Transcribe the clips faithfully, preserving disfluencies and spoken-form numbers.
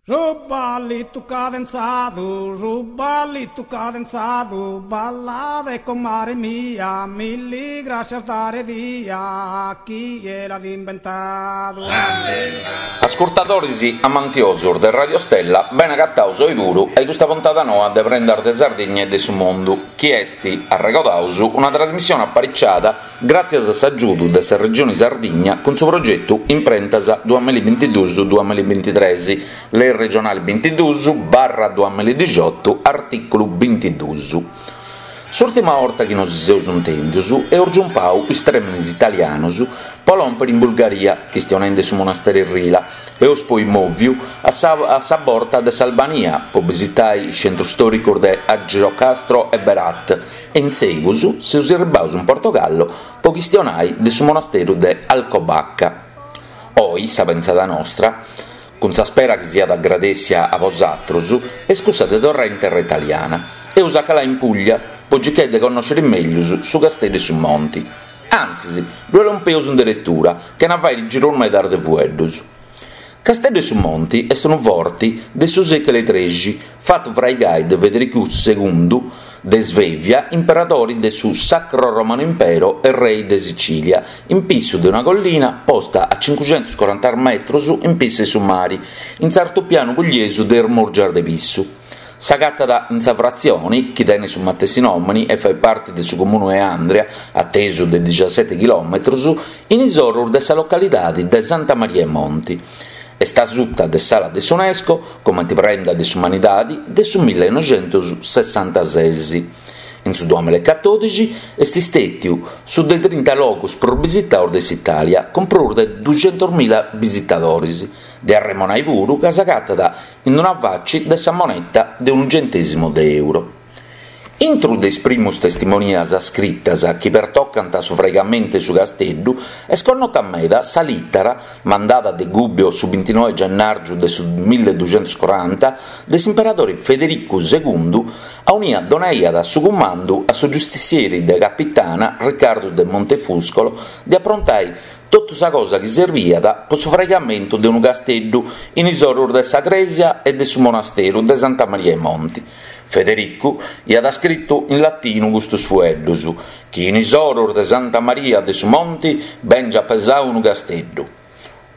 Su ballitu cadenzadu, su ballitu cadenzadu, ballade comare mia, milli grascias dare dia, chie l'at imbentadu. Ascurtadoris amantiosos de Radio Stella, bene agatados oi puru a custa puntada noa de Prendas de Sardigna e de su Mundu, chi est, arregodaus, una trasmissione apariciada gràtzias a s'agiudu de sa Regione Sardigna cun su progetu Imprentas duamilla bintiduus duamilla bintitres, Lei regionale bintiduus barra duamilla dixiotu, artìculu bintiduus. S'ùrtima 'orta chi nos seus intèndios eus giumpadu is trèmenes italianos pro lòmpere in Bulgaria, chistionende de su monastèriu 'e Rila, eus poi mòviu a sa a sa borta de s'Albania pro bisitare is centros istòricos de Argirocastro e Berat e in segus seus arribados in Portogallo pro chistionare de su monastèriu de Alcobaça. Oi sa pensada nostra, cun sa spera chi siat agradèssia a bosatrus, est cussa de torrai in terra italiana. Eus a calai in Puglia po circai de connòscere mègius su Casteddu 'e su Monti. Antzis, ddue lompeus in deretura, chena fàere giros medas de fueddus. Casteddu 'e su Monti est unu forti de su sèculu 'e trexi, fatu fraigai de Federicu segundu de Svevia, imperadori de su Sacro Romano Impero e rei de Sicilia, in pissu de una collina posta a cincuxentus coranta metros in pissu 'e su mari, in s'artupianu pugliesu de is Murgias de Pissu. S'agatat in sa fratzioni, chi tenet su matessi nòmini e fait parti de su comunu 'e Andria, a tesu de dixaseti chilòmetros, in is orus de sa localidadi de Santa Maria 'e Monti. Est a suta de s'ala de s'UNESCO comente prenda de s'umanidadi de su millenoixentus sessantases. In su duamilla e catòdixi est istètiu su de trinta logus prus bisitados de s'Itàlia, cun prus de duxentus mila bisitadores. De arremonai puru ca s'agatat in una faci de sa moneta de unu centèsimu de euro. Intru de is primus testimonias scritas chi pertocant su fraigamentu 'e su casteddu est connota meda sa lìtara, mandada de Gubbio su bintinoe gennàrgiu de su milleduxentus coranta, de s'imperadori Federicu segundu aunia donaiat su cumandu a su giustissieri de capitana Riccardu de Montefuscolo de aprontai totu sa cosa chi serbiat po su fraigamentu de unu casteddu in is orus de sa crèsia e de su monasteru de Santa Maria 'e Monti. Federicu iat scritu in latinu custus fueddus, chi in is orus de Santa Maria de su Monti bèngiat pesau unu casteddu.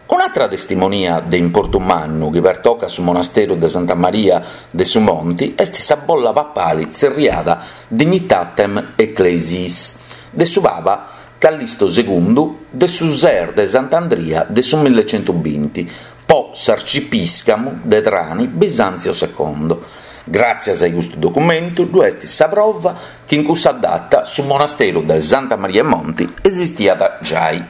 Un'atra testimonia de importu mannu chi pertocat su monasteru de Santa Maria de su Monti est sa bolla papali tzerriada Dignitatem Ecclesiis de su paba Callisto segundu de su ses de Sant'Andria de su millecentubinti po s'arcipìscamu de Trani Bisanzio secondo. Gràtzias a custu documentu ddu est sa prova chi in cussa data su monasteru de Santa Maria 'e Monti esistiat giai.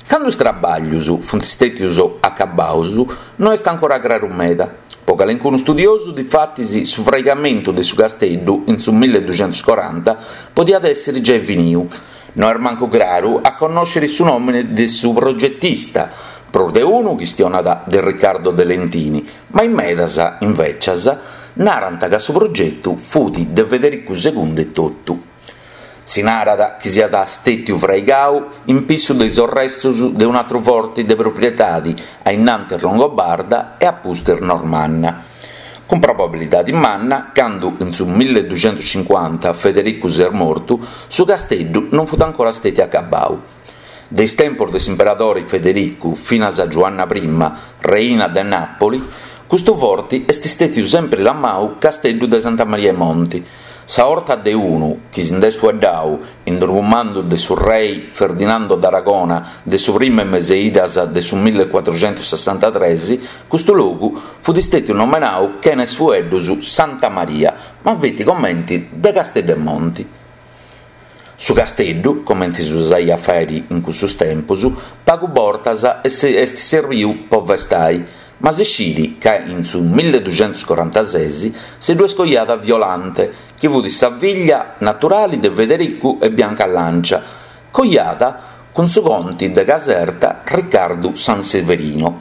Candu is trabàllius funt stètius acabaus no est ancora craru meda. Po calencunu studiosu, difatis, su fraigamentu de su casteddu in su milleduxentus coranta podiat èssere giai finiu. No est mancu craru a connòscere su nòmene de su progetista, prus de unu chistionat de Riccardo de Lentini, ma in medas, invècias, narant ca su progetu fut de Federicu segundu etotu. Si narat chi siat stètiu fraigau in pissu de is orrestus de un'atru forti de proprietadi a innantis longobarda e a pustis normanna. Cun probabilidadi manna, candu in su milleduxentuscincuanta Federicu s'est mortu, su casteddu non fut ancora stètiu acabau. De is tempos de s'imperadori Federicu finas a Giuanna prima, reina de Nàpoli, custu forti est stètiu sempri lamau Casteddu de Santa Maria 'e Monti. Sa 'orta de unu chi si nd'est fueddau in unu cumandu de su rei Ferdinando d'Aragona de su primu 'e meseidas de su millecuatruxentussessantatres, custu logu fut stètiu nomenau chena is fueddus Santa Maria, ma feti comenti de Casteddu 'e Monti. Su casteddu, comenti si usaiat a fàere in cussus tempus, pagu bortas est serbiu po festai, ma si scit ca in su milleduxentuscorantases si ddu est coiada Violante, chi fut sa figlia naturali de Federicu e Bianca Lancia, coiada cun su conti de Caserta Riccardu Sanseverino.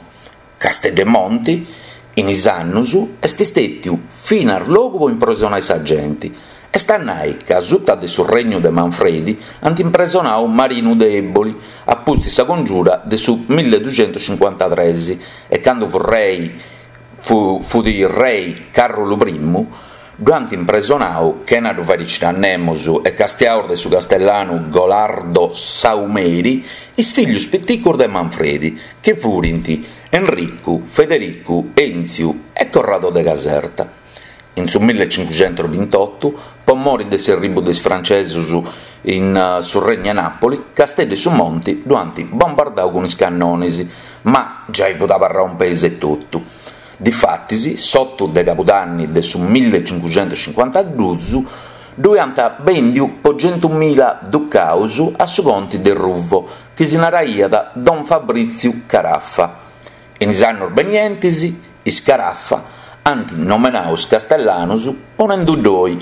Casteddu 'e Monti, in is annus, est stètiu finas logu po impresonai sa genti. Est a nai ca suta de su regnu de Manfredi ant impresonau Marinu de Eboli, a pustis sa congiura de su milleduxentuscincuantatres, e candu fut rei fut rei Càrrulu primu, ddu ant impresonau chena ddu fàiri sciri a nemos e castiaus de su castellanu Golardo Saumeri is fillus piticus de Manfredi, chi furint Enricu, Federicu, Enzio e Corrado de Caserta. In su millecincuxentus-bintotu, po mori de s'erribu de is francesos in su Regnu 'e Nàpoli, Casteddu 'e su Monti ddu ant bombardau cun is cannones, ma giai fut abarrau in peis etotu. Difatis, s'otu de Cabudanni de su millecincuxentus-cincuantaduus ddu ant bèndiu po centumila ducaus a su conti de Ruvo, chi si naraiat Don Fabritziu Carafa. In is annos benientes, is Carafa ant nomenau is castellanos ponende-ddoi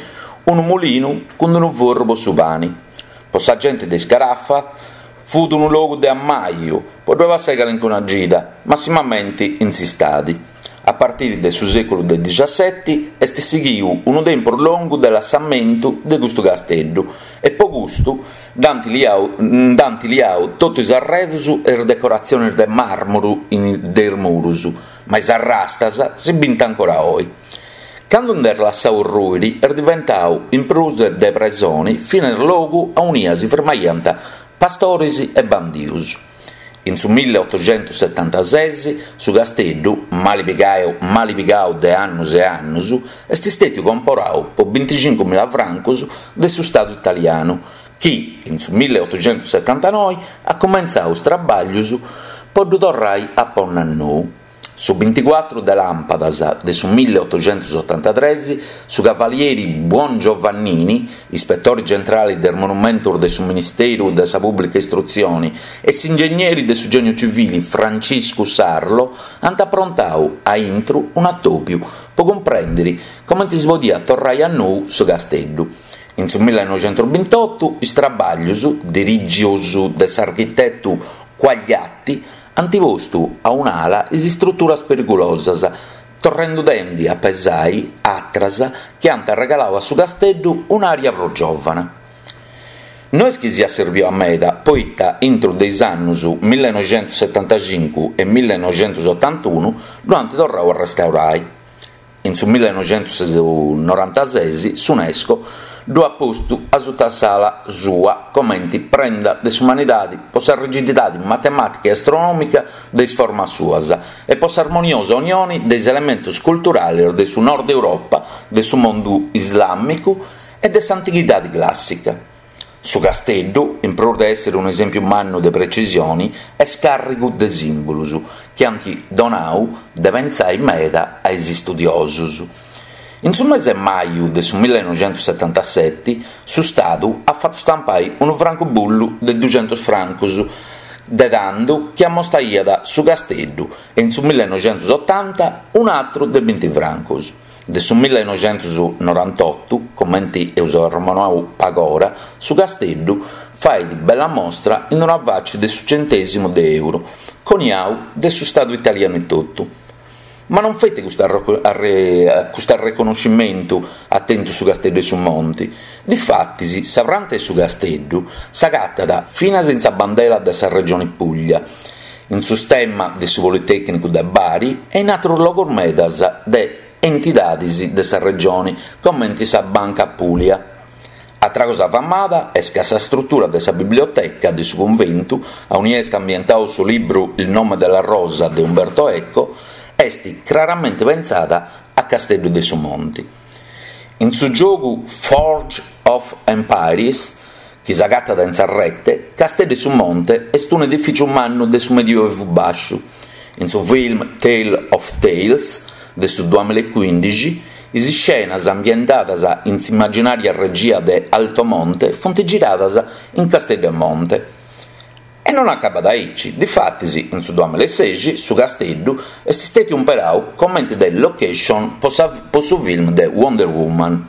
unu mulinu cun unu forru po su pane. Po sa gente de is Carafa fut unu logu de ammaju po ddoe passare calincuna gida, massimamente in s'istade. A partire de su sèculu de diciasseti est sighiu unu tempus longu de lassamentu de custu casteddu e po custu nd'ant liau, nd'ant liau totu is arredos e is decoratziones de màrmuru de is muros, ma is arrastas si bint ancora oe. Cando nd'est lassau rùiri est diventau, in prus de presone, finas logu aunia si firmaiant pastores e bandios. In su milleotoxentus-setantases su casteddu, mali pigau, mali pigau de annos e annos, est istètiu comporau po binticincu mila francos de su Stadu italianu, chi in su milleotoxentus-setantanoe at cumentzau is traballos po ddu torrare a pònnere a nou. Su binticuatru de làmpadas de su milleotoxentus-otantatres, su cavalieri Buongiovannini, ispetore generale de is monumentos de su Ministeru de sa Pùblica Istrutzione, e s'ingegneri de su Gèniu Civile Franciscu Sarlo ant aprontau a intro un'atòbiu po cumprèndere comente si podiat torrare a nou su casteddu. In su millenoixentus-bintotu is traballos, dirìgios de s'architetu Quagliati, ant postu a un'ala is istruturas perigulosas, torrende a pesare àteras chi ant regalau a su casteddu un'ària prus giòvana. No est chi siat serviu a meda, poita intro de is annos millenoixentus-setantacincu e millenoixentus-otantunu ddu ant torrau a restaurare. In su millenoixentus-norantases s'UNESCO ddu at postu a suta s'ala sua comente prenda de s'umanidade po sa rigididade matemàtica e astronòmica de is formas suas e po s'armoniosa unione de is elementos culturales de su Nord Europa, de su mundu islàmicu e de s'antighidade clàssica. Su casteddu, in prus de èssere un'esèmpiu mannu de precisione, est càrrigu de sìmbulos chi ant donau de pensare meda a is istudiosos. In su mese de maju de su millenoixentus-setantasete su Stadu at fatu stampare unu francubullu de duxentus francos de tando chi ammostaiat su casteddu e in su millenoixentus-otanta un'àteru de binti francos. De su millenoixentus-norantotu, comente eus arremonau pagora, su casteddu fait bella mostra in una faccia de su centèsimu de euro, coniau de su Stadu italianu etotu. Ma non feti custu arreconnoscimentu at tentu su Casteddu 'e su Monti. Difatis, sa pranta 'e su Casteddu s'agatat finas in sa bandela de sa Regione Puglia, in su stemma de su Politècnicu de Bari e in àteros logos medas de entidades de sa Regione, comente sa Banca Apulia. Atra cosa famada est ca sa strutura de sa biblioteca de su cunventu, aunia est ambientau su libru Il nome della rosa de Umberto Eco, est craramente pensada a Casteddu de su Monti. In su giogu Forge of Empires, chi s'agatat in sa rete, Casteddu 'e su Monte est un'edifìtziu mannu de su Medioevu Bàsciu. In su film Tale of Tales de su duamillaecuìndixi, is iscenas ambientadas in s'immaginària regia de Altomonte funt giradas in Casteddu 'e Monte. E non acabat aici, difatis in su duamillaesexi su Casteddu est istètiu imperau comente de location po, sa, po su film de Wonder Woman.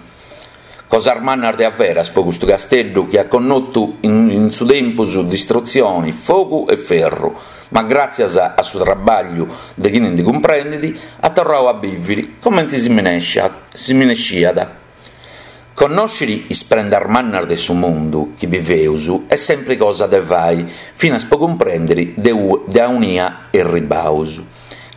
Cosas mannas de averas po custu Casteddu chi at connotu in, in su tempus distrutzione, fogu e ferru, ma gràtzias a su traballu de chini ndi cumprendet at torrau a bìvere comente si minesciat. Connòscere is prendas mannas de su mundu chi biveus est sempre cosa de fai, finas po cumprèndere de, de aunia erribaus.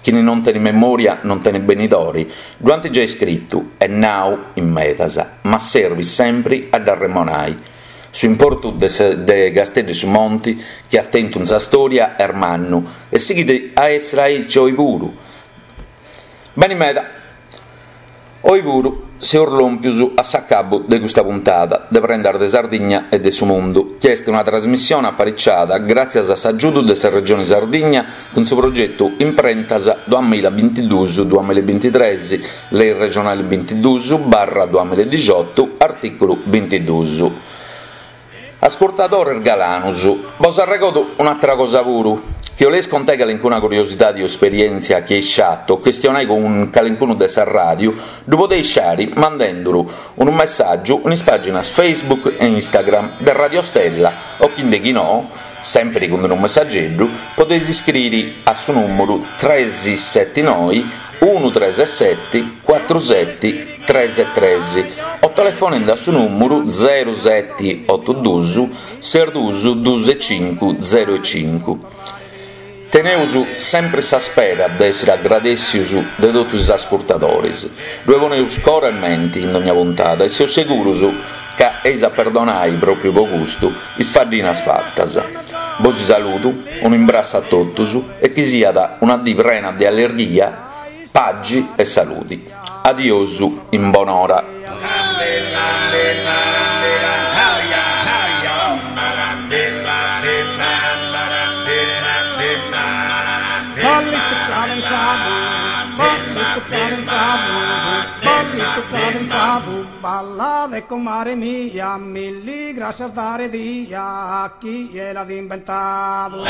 Chini non tenet memoria non tenet benidore, ddu ant giai iscritu e nau in medas, ma servit sempre a dd'arremonare. Su importu de, de Casteddu 'e su Monti, chi at tentu in sa storia, est mannu e sighit a essere aici oe puru. Beni meda. Oe puru seus lompius a s'acabu de custa puntada de Prendas de Sardigna e de su Mundu, chi est una trasmissione apariciada gràtzias a s'agiudu de sa Regione Sardigna cun su progetu Imprentas duamilla bintiduus duamilla bintitrès, Lei regionale bintiduus barra duamilla dixiotu, artìculu bintiduus. Ascurtadores galanos, bos arregodo un'àtera cosa puru. Chi 'oleis contai calincuna curiosidade o esperièntzia chi eis sciatu o chistionai cun calincunu de sa ràdiu, ddu podeis sciare mandenduru unu messàgiu in is pàginas Facebook e Instagram de Radio Stella o chi nde chi no, sempre cun unu messageddu, podeis iscriere a su nùmeru tres sette noe unu tres sette cuatru sette tres tres o telefonende a su nùmeru zero sette oto duos ses duos duos cincu zero cincu. Teneus sempre sa spera de essere agradèssios de totus is ascurtadores. Ddoe poneus coro e mente in ogna puntada e seus seguros ca eis a perdonare pròpiu pro custu is faddinas fatas. Bos saludo, un'imbrassu a totus e chi siat una die prena de allegria, pagi e salute. Adiosu in bonora. Ballito cadenzado, ballito cadenzado, ballito cadenzado, balla de comare mia, milli gracias dare dia a chi l'ha inventado.